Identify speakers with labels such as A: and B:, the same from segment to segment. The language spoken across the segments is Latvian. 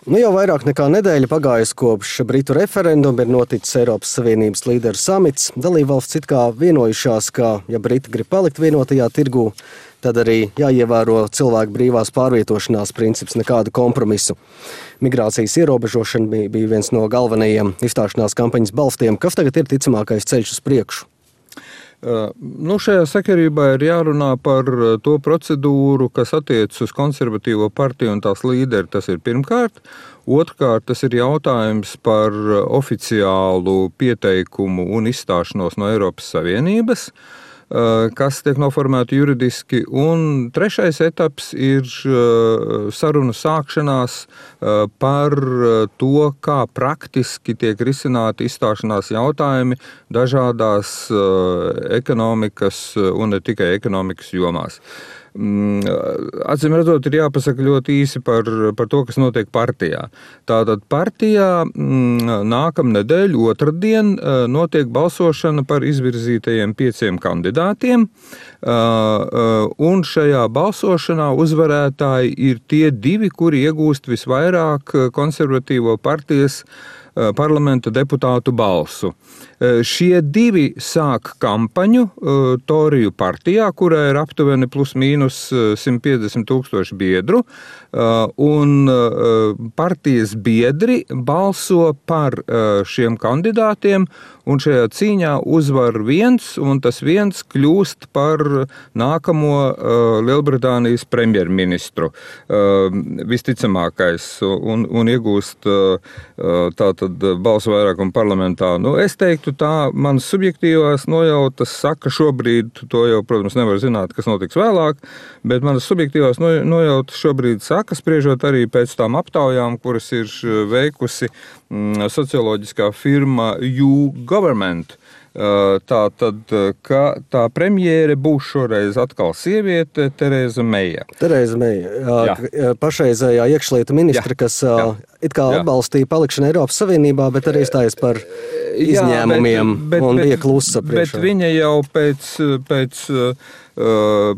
A: Nu jau vairāk nekā nedēļa pagājusi kopš Britu referenduma ir noticis Eiropas Savienības līderu samits. Dalībvalstis it kā vienojušās, ka, ja Briti grib palikt vienotajā tirgū, tad arī jāievēro cilvēku brīvās pārvietošanās princips, nekādu kompromisu. Migrācijas ierobežošana bija viens no galvenajiem izstāšanās kampaņas balstiem. Kas tagad ir ticamākais ceļš uz priekšu?
B: Šajā sakarībā ir jārunā par to procedūru, kas attiecas uz konservatīvo partiju un tās līderi. Tas ir pirmkārt. Otrkārt, tas ir jautājums par oficiālu pieteikumu un izstāšanos no Eiropas Savienības, kas tiek noformēti juridiski, un trešais etaps ir sarunu sākšanās par to, kā praktiski tiek risināti izstāšanās jautājumi dažādās ekonomikas un ne tikai ekonomikas jomās. Acīm redzot, ir jāpasaka ļoti īsi par to, kas notiek partijā. Tātad partijā nākamnedēļ otrdien notiek balsošana par izvirzītajiem 5 kandidātiem, un šajā balsošanā uzvarētāji ir tie 2, kuri iegūst visvairāk konservatīvo partijas parlamenta deputātu balsu. Šie 2 sāk kampaņu Toriju partijā, kurā ir aptuveni plus mīnus 150 000 biedru, un partijas biedri balso par šiem kandidātiem, un šajā cīņā uzvar viens, un tas viens kļūst par nākamo Lielbritānijas premjerministru visticamākais, un iegūst tātad balsu vairākumu parlamentā. Es teiktu tā, manas subjektīvās nojautas saka šobrīd, to jau, protams, nevar zināt, kas notiks vēlāk, bet manas subjektīvās nojautas šobrīd saka, spriežot arī pēc tām aptaujām, kuras ir veikusi socioloģiskā firma YouGovernment. Tātad, ka tā premjere būs šoreiz atkal sieviete Tereza Meija.
A: Tereza Meija, pašreizējā iekšlietu ministra, kas it kā atbalstīja palikšanu Eiropas Savienībā, bet arī stājas par izņēmumiem un bija klusa priekšā.
B: Bet viņa jau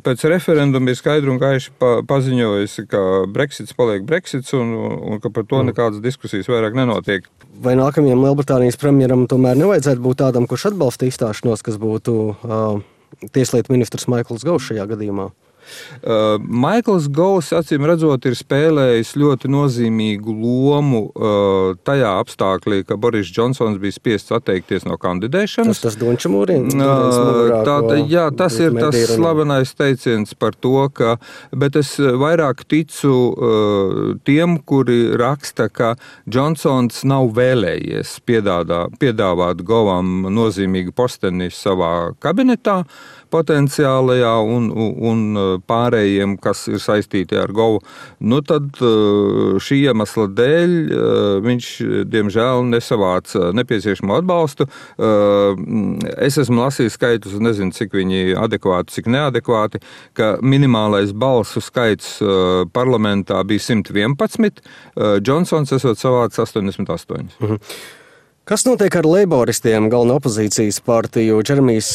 B: pēc referenduma ir skaidri un gaiši paziņojusi, ka Brexits paliek Brexits un ka par to nekādas diskusijas vairāk nenotiek.
A: Vai nākamajam Lielbritānijas premjeram tomēr nevajadzētu būt tādam, kurš atbalsta izstāšanos, kas būtu tieslietu ministrs Maikls Govs šajā gadījumā?
B: Maikls Govs, acīm redzot, ir spēlējis ļoti nozīmīgu lomu tajā apstāklī, ka Boris Džonsons bija spiests atteikties no kandidēšanas.
A: Tas Dončamūrien?
B: Tas ir tas slavenais teiciens par to, bet es vairāk ticu tiem, kuri raksta, ka Džonsons nav vēlējies piedāvāt Govam nozīmīgu posteni savā kabinetā potenciālajā un pārējiem, kas ir saistīti ar Govu. Tad šī iemesla dēļ viņš, diemžēl, nesavāca nepieciešamo atbalstu. Es esmu lasījis skaitus, nezinu, cik viņi adekvāti, cik neadekvāti, ka minimālais balsu skaits parlamentā bija 111, Džonsons esot savācis 88.
A: Kas notiek ar leiboristiem, galveno opozīcijas partiju? Džeremijs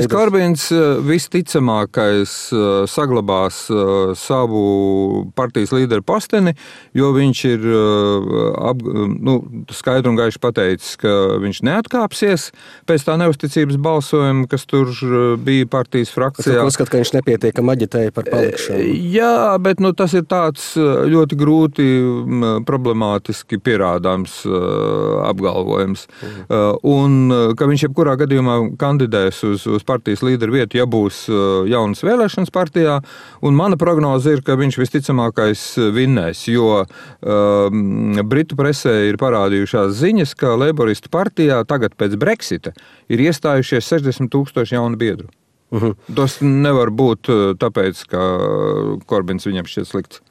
A: Korbins
B: visticamākais saglabās savu partijas līderu posteni, jo viņš ir skaidri un gaiši pateicis, ka viņš neatkāpsies pēc tā neusticības balsojuma, kas tur bija partijas frakcijā.
A: Es uzskatu, ka viņš nepietiekami aģitēja par palikšanu.
B: Jā, bet tas ir tāds ļoti grūti problemātiski pierādāms apgalvojums. Un ka viņš jebkurā gadījumā kandidēs uz partijas līderu vietu, ja būs jaunas vēlēšanas partijā, un mana prognoze ir, ka viņš visticamākais vinnēs, jo Britu presē ir parādījušās ziņas, ka Leiboristu partijā tagad pēc Brexita ir iestājušies 60 000 jaunu biedru. Tas nevar būt tāpēc, ka Korbins viņam šķiet slikts.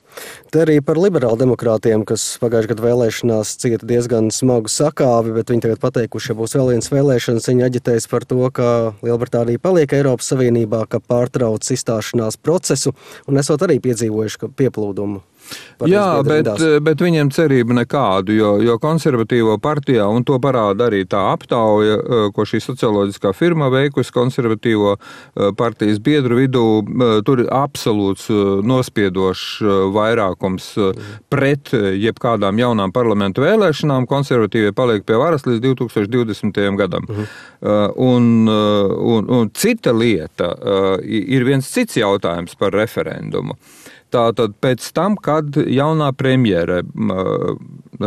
A: Te arī par liberāldemokrātiem, kas pagājušajā gadu vēlēšanās cieta diezgan smagu sakāvi, bet viņi tagad pateikuši, ja būs vēl viens vēlēšanas, viņi aģitēs par to, ka Lielbritānija paliek Eiropas Savienībā, ka pārtrauc izstāšanās procesu, un esot arī piedzīvojuši pieplūdumu.
B: Jā, bet viņiem cerība nekādu, jo konservatīvo partijā, un to parāda arī tā aptauja, ko šī socioloģiskā firma veikusi konservatīvo partijas biedru vidū, tur ir absolūts nospiedošs vairākums pret jebkādām jaunām parlamentu vēlēšanām. Konservatīvie paliek pie varas līdz 2020. gadam. Un cita lieta ir viens cits jautājums par referendumu. Tātad pēc tam, kad jaunā premjere,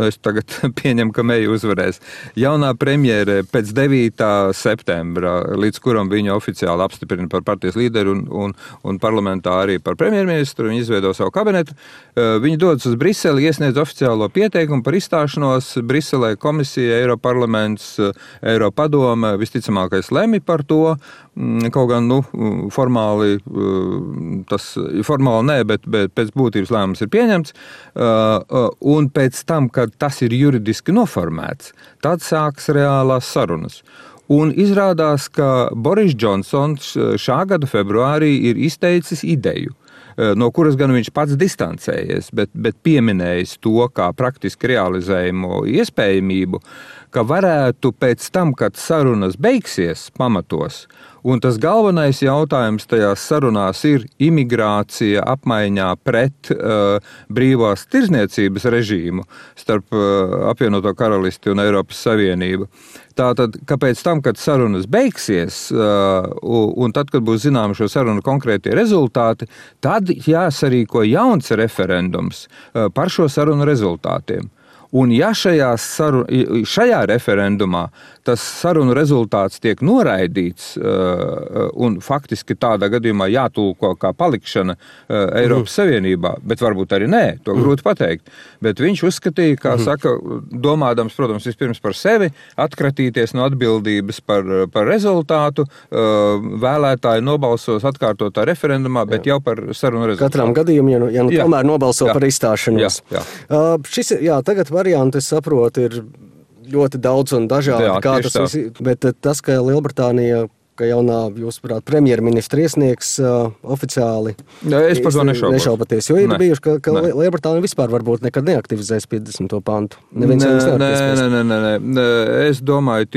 B: es tagad pieņemu, ka Meija uzvarēs, jaunā premjere pēc 9. septembra, līdz kuram viņu oficiāli apstiprina par partijas līderu un parlamentā arī par premjerministru, viņi izveido savu kabinetu, viņi dodas uz Briseli, iesniedz oficiālo pieteikumu par izstāšanos, Briselē komisija, Eiroparlaments, Eiropadome, visticamākais lemj par to, kaut gan, formāli nē, bet pēc būtības lēmums ir pieņemts, un pēc tam, kad tas ir juridiski noformēts, tad sāks reālās sarunas. Un izrādās, ka Boris Džonsons šā gada februārī ir izteicis ideju, no kuras gan viņš pats distancējies, bet pieminējis to kā praktiski realizējumu iespējamību, ka varētu pēc tam, kad sarunas beigsies pamatos, un tas galvenais jautājums tajās sarunās ir imigrācija apmaiņā pret brīvās tirzniecības režīmu starp apvienoto karalisti un Eiropas Savienību. Tātad, ka pēc tam, kad sarunas beigsies, un tad, kad būs zināmi šo sarunu konkrētie rezultāti, tad jāsarīko jauns referendums par šo sarunu rezultātiem. Un ja šajā referendumā tas sarunu rezultāts tiek noraidīts un faktiski tādā gadījumā jātulko kā palikšana Eiropas Savienībā, bet varbūt arī nē, to grūti pateikt. Bet viņš uzskatīja, kā saka, domādams, protams, vispirms par sevi, atkratīties no atbildības par rezultātu, vēlētāji nobalsos atkārtotā referendumā, bet jau par sarunu rezultātu.
A: Katram gadījumam, ja tomēr nobalso par izstāšanos.
B: Jā.
A: Tagad varianti, es saprotu, ir ļoti daudz un dažādi. Bet tas, ka Lielbritānija, ka jaunā, jūsuprāt, premjerministra iesniegs oficiāli.
B: Es par to
A: nešaubaties, jo ir bijuši, ka Lielbritānija vispār varbūt nekad neaktivizēs 50. pantu.
B: Nē. Es domāju,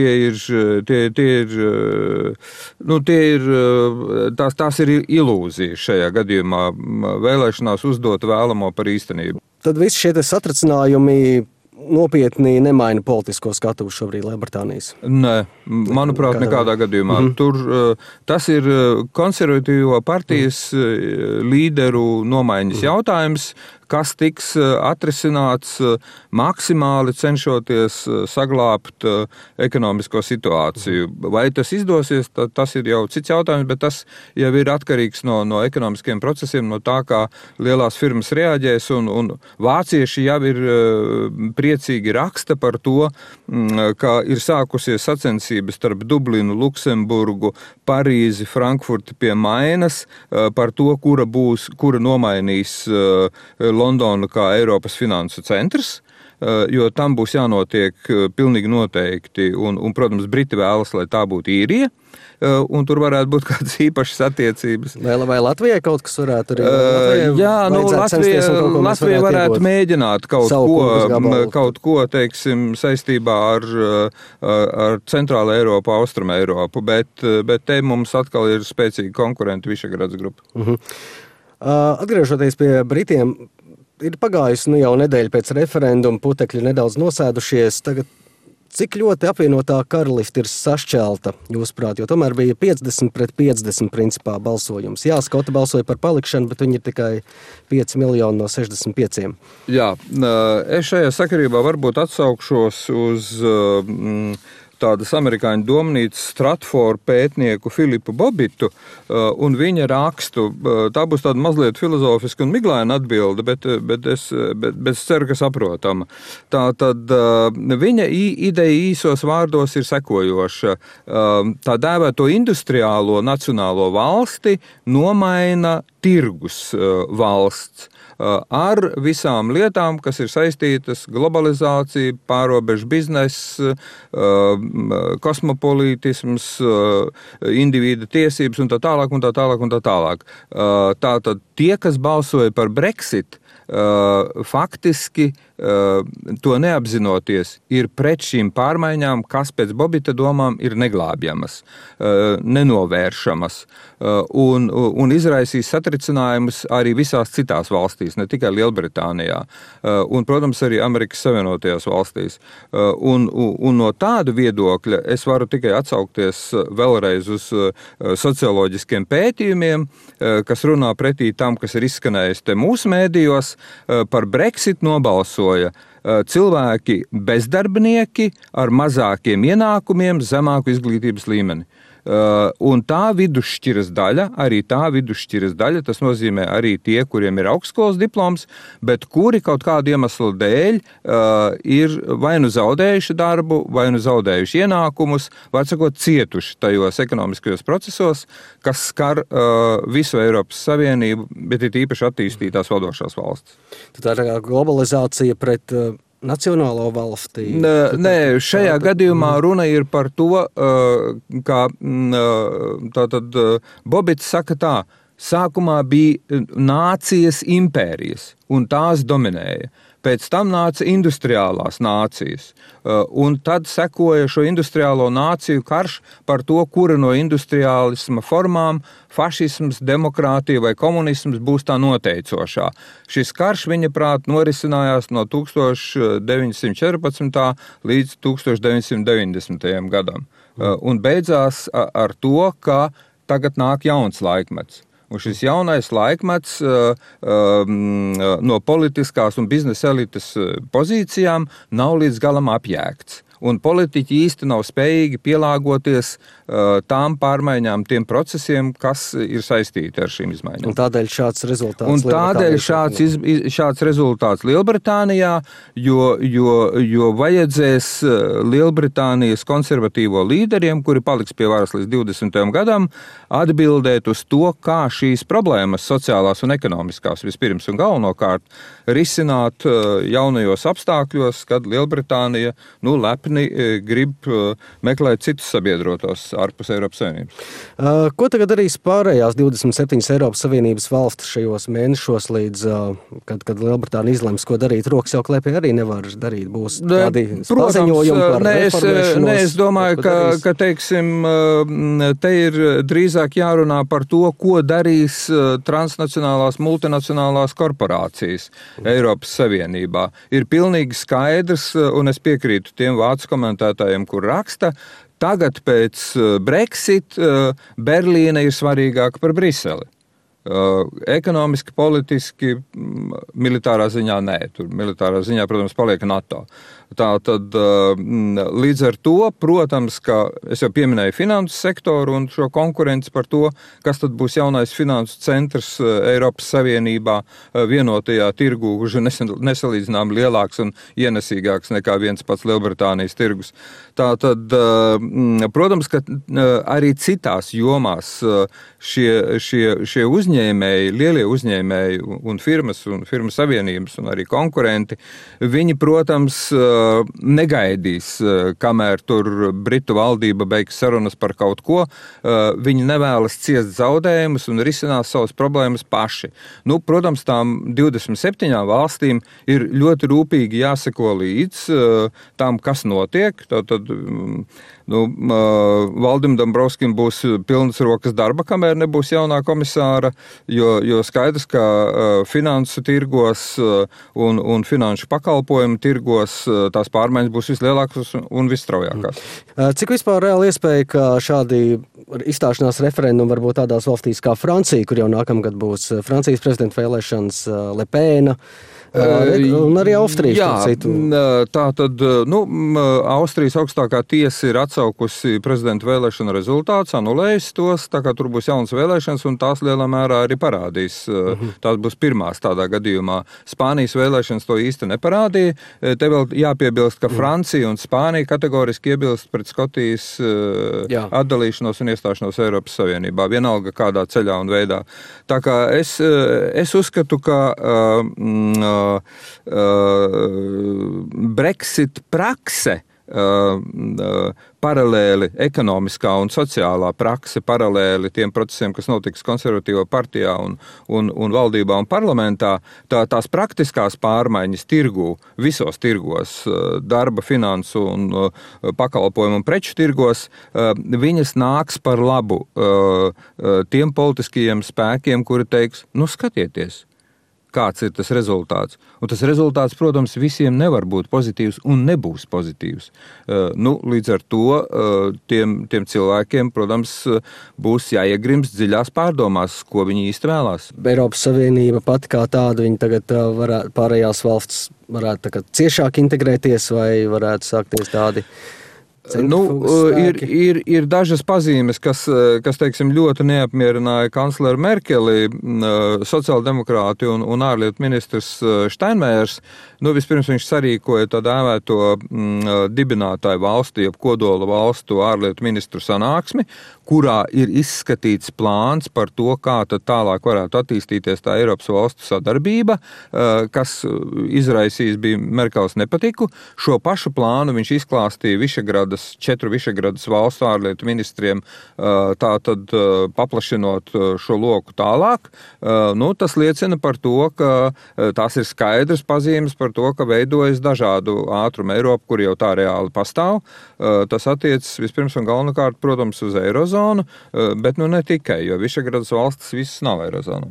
B: tās ir ilūzijas šajā gadījumā. Vēlēšanās uzdot vēlamo par īstenību.
A: Tad visi šie satricinājumi nopietni nemaina politisko skatuvu šobrīd Lielbritānijas?
B: Nē, manuprāt, nekādā gadījumā. Tur tas ir konservatīvo partijas līderu nomaiņas jautājums, kas tiks atrisināts maksimāli cenšoties saglābt ekonomisko situāciju. Vai tas izdosies, tas ir jau cits jautājums, bet tas jau ir atkarīgs no ekonomiskiem procesiem, no tā, kā lielās firmas reaģēs, un vācieši jau ir priecīgi raksta par to, ka ir sākusies sacensības starp Dublinu, Luksemburgu, Parīzi, Frankfurti pie Mainas par to, kura nomainīs Londonu kā Eiropas finansu centrs, jo tam būs jānotiek pilnīgi noteikti, un protams, Briti vēlas, lai tā būtu Īrija, un tur varētu būt kādas īpašas attiecības.
A: Vai Latvijai kaut kas varētu arī?
B: Latvija varētu mēģināt kaut ko, teiksim, saistībā ar Centrāla Eiropu, Austruma Eiropu, bet te mums atkal ir spēcīgi konkurenti Višegrads grupa.
A: Atgriežoties pie Britiem, ir pagājusi jau nedēļa pēc referenduma, putekļi nedaudz nosēdušies. Tagad cik ļoti apvienotā karaliste ir sašķelta, jūsuprāt, jo tomēr bija 50-50 principā balsojums. Jā, Skoti balsoja par palikšanu, bet viņi ir tikai 5 miljoni no 65.
B: Jā, es šajā sakarībā varbūt atsaukšos uz tādas amerikāņu domnīcas Stratforda pētnieku Filipu Bobitu un viņa rakstu. Tā būs tāda mazliet filozofiska un miglaina atbilde, bet es ceru, ka saprotama. Tātad viņa ideja īsos vārdos ir sekojoša. Tā dēvēto industriālo nacionālo valsti nomaina tirgus valsts. ar visām lietām, kas ir saistītas globalizācija, pārobežu biznesa, kosmopolītisms, individa tiesības un tā tālāk un tā tālāk un tā tālāk. Tātad tie, kas balsoja par Brexit, faktiski to neapzinoties, ir pret šīm pārmaiņām, kas pēc Bobita domām ir neglābjamas, nenovēršamas un izraisīs satricinājumus arī visās citās valstīs, ne tikai Lielbritānijā un, protams, arī Amerikas Savienotajās valstīs. Un no tāda viedokļa es varu tikai atsaukties vēlreiz uz socioloģiskiem pētījumiem, kas runā pretī tam, kas ir izskanējis te mūsu mēdījos. Par Brexit nobalsoja cilvēki bezdarbnieki ar mazākiem ienākumiem, zemāku izglītības līmeni. Un tā vidusšķiras daļa, tas nozīmē arī tie, kuriem ir augstskolas diploms, bet kuri kaut kādu iemeslu dēļ ir vai nu zaudējuši darbu, vai nu zaudējuši ienākumus, vai sakot cietuši tajos ekonomiskajos procesos, kas skar visu Eiropas Savienību, bet ir īpaši attīstītās vadošās valstis.
A: Tā ir globalizācija pret nacionālo valstī?
B: Nē, šajā gadījumā runa ir par to, ka tātad Bobits saka tā, sākumā bija nācijas impērijas, un tās dominēja. Pēc tam nāca industriālās nācijas, un tad sekoja šo industriālo nāciju karš par to, kura no industriālisma formām, fašisms, demokrātija vai komunisms būs tā noteicošā. Šis karš, viņa prāt, norisinājās no 1914. līdz 1990. gadam, un beidzās ar to, ka tagad nāk jauns laikmets. Un šis jaunais laikmets no politiskās un biznesa elites pozīcijām nav līdz galam apjēgts. Un politiķi īsti nav spējīgi pielāgoties tām pārmaiņām, tiem procesiem, kas ir saistīti ar šīm izmaiņām.
A: Un tādēļ šāds
B: rezultāts Lielbritānijā, jo vajadzēs Lielbritānijas konservatīvo līderiem, kuri paliks pie varas līdz 20. gadam, atbildēt uz to, kā šīs problēmas sociālās un ekonomiskās vispirms un galvenokārt risināt jaunajos apstākļos, kad Lielbritānija lepni grib meklēt citus sabiedrotos ārpus Eiropas Savienības.
A: Ko tagad darīs pārējās 27 Eiropas Savienības valstis šajos mēnešos, līdz, kad Lielbritānija izlems, ko darīt? Rokas jau klēpī arī nevar darīt. Būs kādi paziņojumi par reformēšanos?
B: Es domāju, ka teiksim, te ir drīzāk jārunā par to, ko darīs transnacionālās, multinacionālās korporācijas Eiropas Savienībā. Ir pilnīgi skaidrs, un es piekrītu tiem vācu komentētājiem, kur raksta, tagad pēc Brexit Berlīne ir svarīgāka par Briseli. Ekonomiski, politiski, militārā ziņā nē. Tur militārā ziņā, protams, paliek NATO. Tātad līdz ar to, protams, ka es jau pieminēju finansu sektoru un šo konkurenci par to, kas tad būs jaunais finansu centrs Eiropas Savienībā vienotajā tirgu, kurš ir nesalīdzinām lielāks un ienesīgāks nekā viens pats Lielbritānijas tirgus. Tātad, protams, ka arī citās jomās šie uzņēmēji, lielie uzņēmēji un firmas savienības un arī konkurenti, viņi, protams, negaidīs, kamēr tur Britu valdība beigs sarunas par kaut ko, viņi nevēlas ciest zaudējumus un risinās savas problēmas paši. Protams, tām 27 valstīm ir ļoti rūpīgi jāseko līdz tām, kas notiek. Tātad, Valdim Dombrovskim būs pilnas rokas darba, kamēr nebūs jaunā komisāra, jo skaidrs, ka finansu tirgos un finanšu pakalpojumu tirgos tās pārmaiņas būs vislielākas un visstraujākās.
A: Cik vispār reāli iespēja, ka šādi izstāšanās referendumi varbūt tādās valstīs kā Francija, kur jau nākamgad būs Francijas prezidenta vēlēšanas, Le Pena, Un arī Austrijas citu.
B: Tā tad, Austrijas augstākā tiesa ir atsaukusi prezidenta vēlēšanu rezultātus, anulējusi tos, tā kā tur būs jaunas vēlēšanas, un tās lielā mērā arī parādīs. Tās būs pirmās tādā gadījumā. Spānijas vēlēšanas to īsti neparādīja. Te vēl jāpiebilst, ka Francija un Spānija kategoriski iebilst pret Skotijas atdalīšanos un iestāšanos Eiropas Savienībā, vienalga kādā ceļā un veidā. Tā kā es uzskatu, ka Brexit prakse, paralēli ekonomiskā un sociālā prakse, paralēli tiem procesiem, kas notiks konservatīvā partijā un valdībā un parlamentā, tās praktiskās pārmaiņas tirgū, visos tirgos, darba, finansu un pakalpojumu un preču tirgos, viņas nāks par labu tiem politiskajiem spēkiem, kuri teiks, skatieties, kāds ir tas rezultāts. Un tas rezultāts, protams, visiem nevar būt pozitīvs un nebūs pozitīvs. Līdz ar to tiem cilvēkiem, protams, būs jāiegrimst dziļās pārdomās, ko viņi īsti vēlās.
A: Eiropas Savienība pati kā tāda, viņi tagad pārējās valsts varētu tagad ciešāk integrēties vai varētu sākties tādi...
B: Ir dažas pazīmes, kas teiksim, ļoti neapmierināja kancleru Merkeli, sociāldemokrāti un ārlietu ministrs Steinmeiers. Vispirms viņš sarīkoja tā dēvēto dibinātāju valstu, jeb kodola valstu ārlietu ministru sanāksmi, kurā ir izskatīts plāns par to, kā tad tālāk varētu attīstīties tā Eiropas valstu sadarbība, kas izraisīs bija Merkels nepatiku. Šo pašu plānu viņš izklāstīja četru Višegradas valstu ārlietu ministriem, tātad paplašinot šo loku tālāk. Tas liecina par to, ka tās ir skaidras pazīmes par to, ka veidojas dažādu ātrumu Eiropu, kur jau tā reāli pastāv. Tas attiecas vispirms un galvenokārt, protams, uz Eirozonu, bet ne tikai, jo Višegradas valstis visas nav Eirozonā.